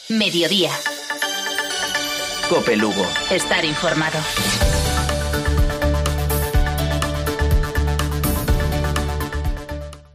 Mediodía. COPE Lugo. Estar informado.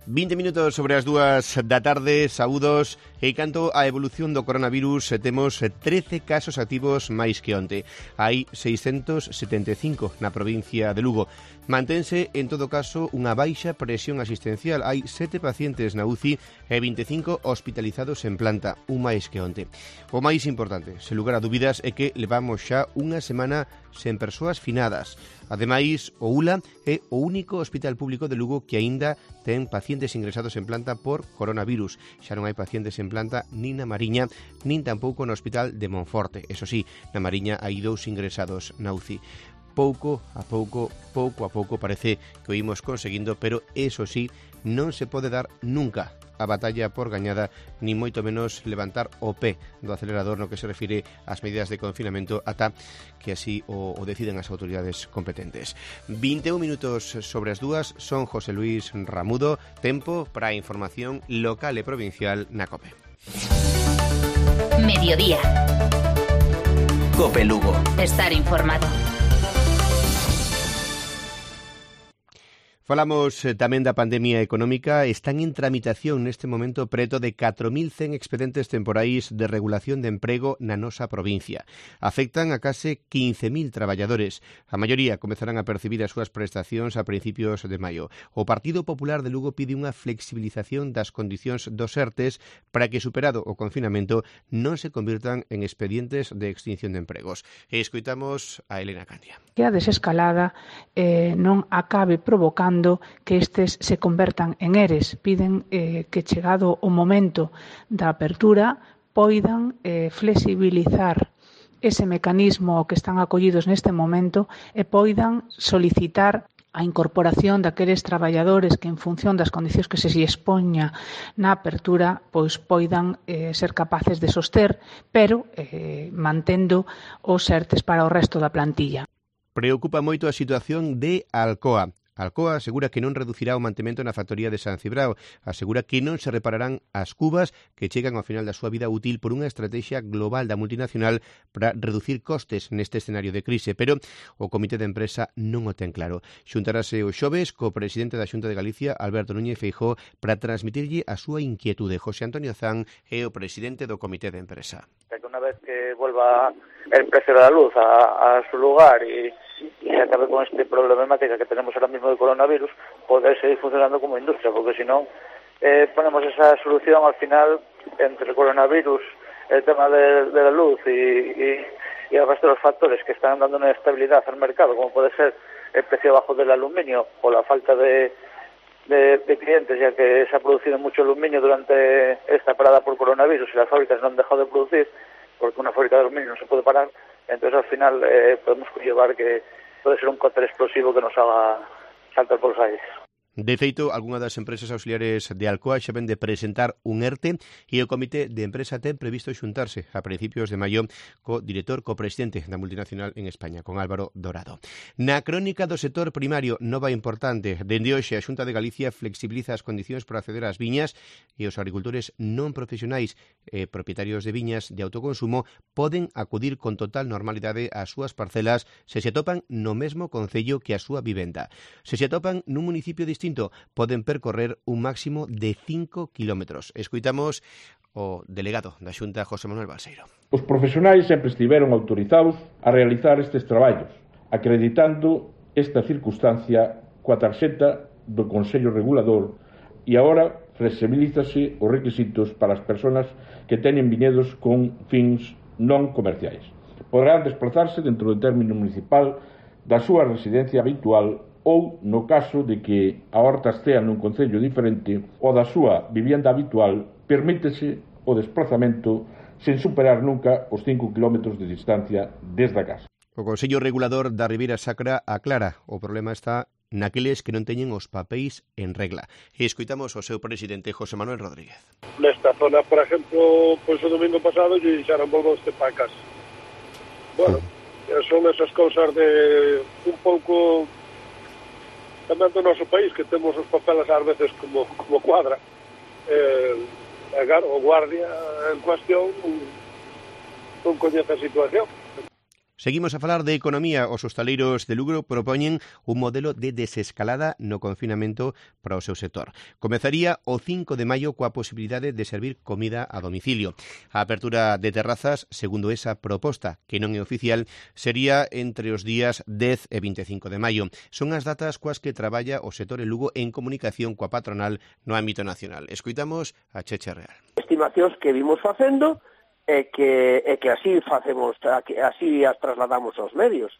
...20 minutos sobre as 2 da tarde, saúdos. E canto a evolución do coronavirus, temos 13 casos activos máis que onte. Hai 675 na provincia de Lugo. Mantense, en todo caso, unha baixa presión asistencial. Hai 7 pacientes na UCI e 25 hospitalizados en planta, un máis que onte. O máis importante, sen lugar a dúbidas, é que levamos xa unha semana sen persoas finadas. Ademais, o ULA é o único hospital público de Lugo que aínda ten pacientes ingresados en planta por coronavirus. Xa non hai pacientes en planta nin na Mariña, nin tampouco no hospital de Monforte. Eso sí, na Mariña hai 2 ingresados na UCI. Pouco a pouco parece que o imos conseguindo, pero eso sí, non se pode dar nunca a batalla por gañada, ni moito menos levantar o pé do acelerador no que se refire ás medidas de confinamento ata que así o deciden as autoridades competentes. 21 minutos sobre as 2, son José Luis Ramudo, tempo para a información local e provincial na COPE. Mediodía. COPE Lugo. Estar informado. Falamos tamén da pandemia económica. Están en tramitación neste momento preto de 4.100 expedientes temporais de regulación de emprego na nosa provincia. Afectan a case 15.000 traballadores. A maioría comezarán a percibir as súas prestacións a principios de maio. O Partido Popular de Lugo pide unha flexibilización das condicións dos ERTEs para que, superado o confinamento, non se convirtan en expedientes de extinción de empregos. E escoitamos a Elena Candia. Que a desescalada non acabe provocando que estes se convertan en ERES. Piden que, chegado o momento da apertura, poidan flexibilizar ese mecanismo ao que están acollidos neste momento e poidan solicitar a incorporación daqueles traballadores que, en función das condicións que se expoña na apertura, pois poidan ser capaces de soster, pero mantendo os ERTEs para o resto da plantilla. Preocupa moito a situación de Alcoa. Alcoa asegura que non reducirá o mantemento na factoría de San Cibrao. Asegura que non se repararán as cubas que chegan ao final da súa vida útil por unha estrategia global da multinacional para reducir costes neste escenario de crise, pero o comité de empresa non o ten claro. Xuntarase o xoves co presidente da Xunta de Galicia, Alberto Núñez Feijóo, para transmitirlle a súa inquietude. José Antonio Zan é o presidente do comité de empresa. Que unha vez que vuelva el precio de la luz a su lugar y se acabe con este problemática que tenemos ahora mismo de coronavirus, poder seguir funcionando como industria, porque si no ponemos esa solución al final entre el coronavirus, el tema de la luz y el resto de los factores que están dando una estabilidad al mercado, como puede ser el precio bajo del aluminio o la falta de clientes, ya que se ha producido mucho aluminio durante esta parada por coronavirus y las fábricas no han dejado de producir, porque una fábrica de aluminio no se puede parar. Entonces al final podemos conllevar que puede ser un cóctel explosivo que nos haga saltar por los aires. De feito, algunha das empresas auxiliares de Alcoa xa ven de presentar un ERTE e o comité de empresa ten previsto xuntarse a principios de maio co presidente da multinacional en España, con Álvaro Dorado. Na crónica do sector primario, nova importante. Dende hoxe, a Xunta de Galicia flexibiliza as condicións para acceder ás viñas e os agricultores non profesionais e propietarios de viñas de autoconsumo poden acudir con total normalidade ás súas parcelas se se atopan no mesmo concello que a súa vivenda. Se se atopan nun municipio distinto, poden percorrer un máximo de 5 kilómetros. Escoitamos o delegado da Xunta, José Manuel Balseiro. Os profesionais sempre estiveron autorizados a realizar estes traballos, acreditando esta circunstancia coa tarxeta do Consello Regulador, e agora flexibilízase os requisitos para as persoas que teñen viñedos con fins non comerciais. Poderán desplazarse dentro do término municipal da súa residencia habitual ou, no caso de que a horta estea nun concello diferente ou da súa vivienda habitual, permítese o desplazamento sen superar nunca os 5 km de distancia desde a casa. O Consello Regulador da Ribeira Sacra aclara o problema está naqueles que non teñen os papéis en regla. E escoitamos o seu presidente, José Manuel Rodríguez. Nesta zona, por exemplo, pois o domingo pasado lle dixeron volvoste para casa. Bueno, son esas cousas de un pouco tamén do noso país, que temos os papeles ás veces como cuadra. Claro, o guardia en cuestión non coñece a situación. Seguimos a falar de economía. Os hostaleiros de Lugo propoñen un modelo de desescalada no confinamento para o seu sector. Comezaría o 5 de maio coa posibilidade de servir comida a domicilio. A apertura de terrazas, segundo esa proposta, que non é oficial, sería entre os días 10 e 25 de maio. Son as datas coas que traballa o sector en Lugo en comunicación coa patronal no ámbito nacional. Escoitamos a Cheche Real. Estimacións que vimos facendo e que así facemos, así as trasladamos aos medios.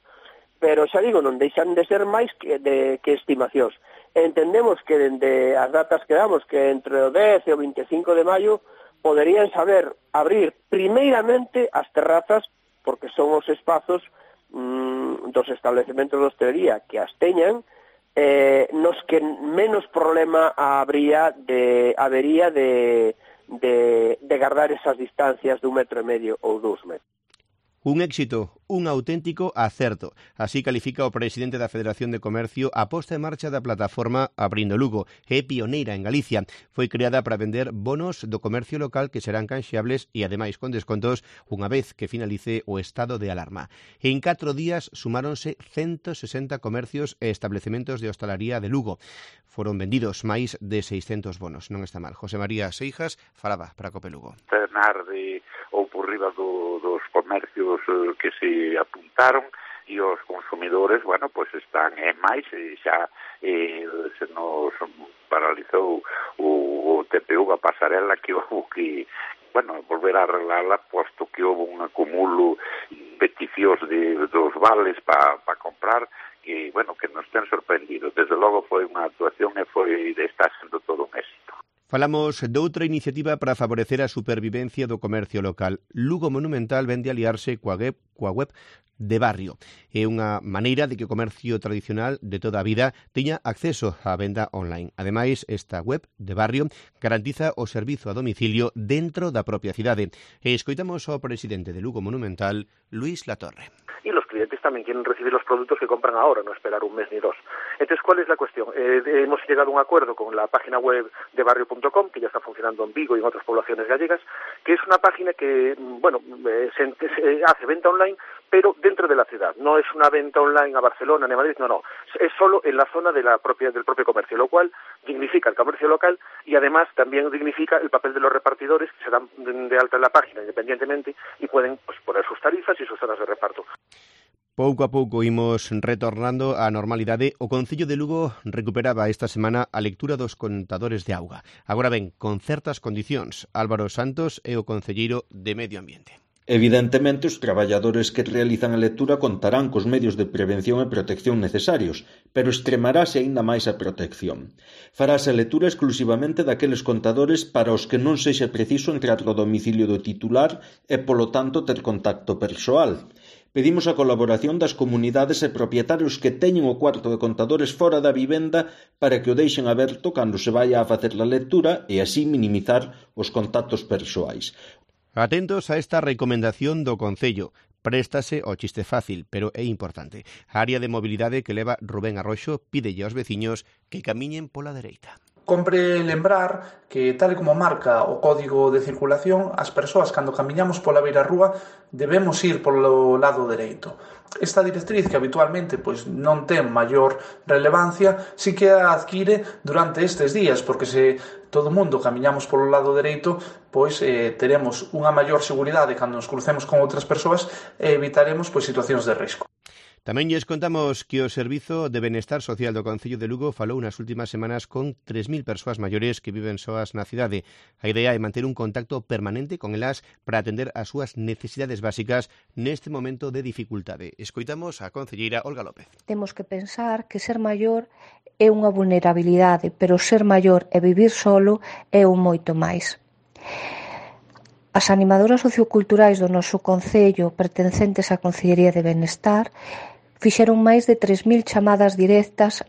Pero xa digo, non deixan de ser máis que estimacións. Entendemos que dende as datas que damos, que entre o 10 e o 25 de maio, poderían saber abrir primeiramente as terrazas, porque son os espazos dos estabelecementos de hostelería que as teñan, nos que menos problema habería de guardar esas distancias de 1,5 metros ou 2 metros. Un éxito, un auténtico acerto. Así califica o presidente da Federación de Comercio a posta en marcha da plataforma Abrindo Lugo. É pioneira en Galicia. Foi creada para vender bonos do comercio local que serán canxeables e, ademais, con descontos unha vez que finalice o estado de alarma. En 4 días sumáronse 160 comercios e establecementos de hostalaría de Lugo. Foron vendidos máis de 600 bonos. Non está mal. José María Seijas falaba para Cope Lugo. Tarde ou por riba dos comercios que se apuntaron e os consumidores, bueno, pois están máis e xa se nos paralizou o TPU, a pasarela que houve que, bueno, volver a arreglarla, posto que houve un acumulo peticións dos vales para comprar, que, bueno, que nos ten sorprendido. Desde logo foi unha actuación e está sendo todo un éxito. Falamos doutra iniciativa para favorecer a supervivencia do comercio local. Lugo Monumental vende aliarse coa web de barrio. É unha maneira de que o comercio tradicional de toda a vida teña acceso á venda online. Ademais, esta web de barrio garantiza o servizo a domicilio dentro da propia cidade. E escoitamos ao presidente de Lugo Monumental, Luis Latorre. Y los clientes también quieren recibir los productos que compran ahora, no esperar un mes ni dos. Entonces, ¿cuál es la cuestión? Hemos llegado a un acuerdo con la página web de barrio.com, que ya está funcionando en Vigo y en otras poblaciones gallegas, que es una página que, bueno, se hace venta online, pero dentro de la ciudad. No es una venta online a Barcelona ni a Madrid, no. Es solo en la zona del propio comercio, lo cual dignifica el comercio local y además también dignifica el papel de los repartidores que se dan de alta en la página independientemente y pueden, pues, poner sus tarifas y sus zonas de reparto. Pouco a pouco imos retornando á normalidade. O Concello de Lugo recuperaba esta semana a lectura dos contadores de auga. Agora ben, con certas condicións. Álvaro Santos é o concelleiro de Medio Ambiente. Evidentemente, os traballadores que realizan a lectura contarán cos medios de prevención e protección necesarios, pero extremarase aínda máis a protección. Farase a lectura exclusivamente daqueles contadores para os que non sexa preciso entrar ao domicilio do titular e, polo tanto, ter contacto persoal. Pedimos a colaboración das comunidades e propietarios que teñen o cuarto de contadores fora da vivenda para que o deixen aberto cando se vaya a facer a lectura e así minimizar os contactos persoais. Atentos a esta recomendación do Concello. Préstase ao chiste fácil, pero é importante. A área de mobilidade que leva Rubén Arroxo pídelle aos veciños que camiñen pola dereita. Compre lembrar que, tal e como marca o Código de Circulación, as persoas, cando camiñamos pola beirarrúa, debemos ir polo lado dereito. Esta directriz, que habitualmente non ten maior relevancia, sí que a adquire durante estes días, porque se todo o mundo camiñamos polo lado dereito, teremos unha maior seguridade cando nos crucemos con outras persoas e evitaremos situacións de risco. Tamén lles contamos que o Servizo de Benestar Social do Concello de Lugo falou nas últimas semanas con 3.000 persoas maiores que viven soas na cidade. A idea é manter un contacto permanente con elas para atender as súas necesidades básicas neste momento de dificultade. Escoitamos a concelleira Olga López. Temos que pensar que ser maior é unha vulnerabilidade, pero ser maior e vivir solo é un moito máis. As animadoras socioculturais do noso concello pertencentes á Concellería de Benestar fixeron máis de 3.000 chamadas directas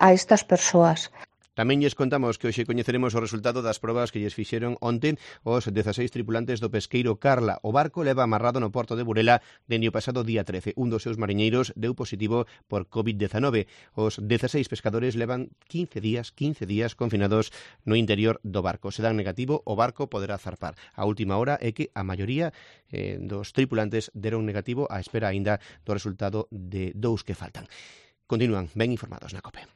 a estas persoas. Tamén lles contamos que hoxe coñeceremos o resultado das probas que lles fixeron onte os 16 tripulantes do pesqueiro Carla. O barco leva amarrado no porto de Burela dende o pasado día 13. Un dos seus mariñeiros deu positivo por COVID-19. Os 16 pescadores levan 15 días confinados no interior do barco. Se dan negativo, o barco poderá zarpar. A última hora é que a maioría dos tripulantes deron negativo á espera aínda do resultado de 2 que faltan. Continúan ben informados na COPE.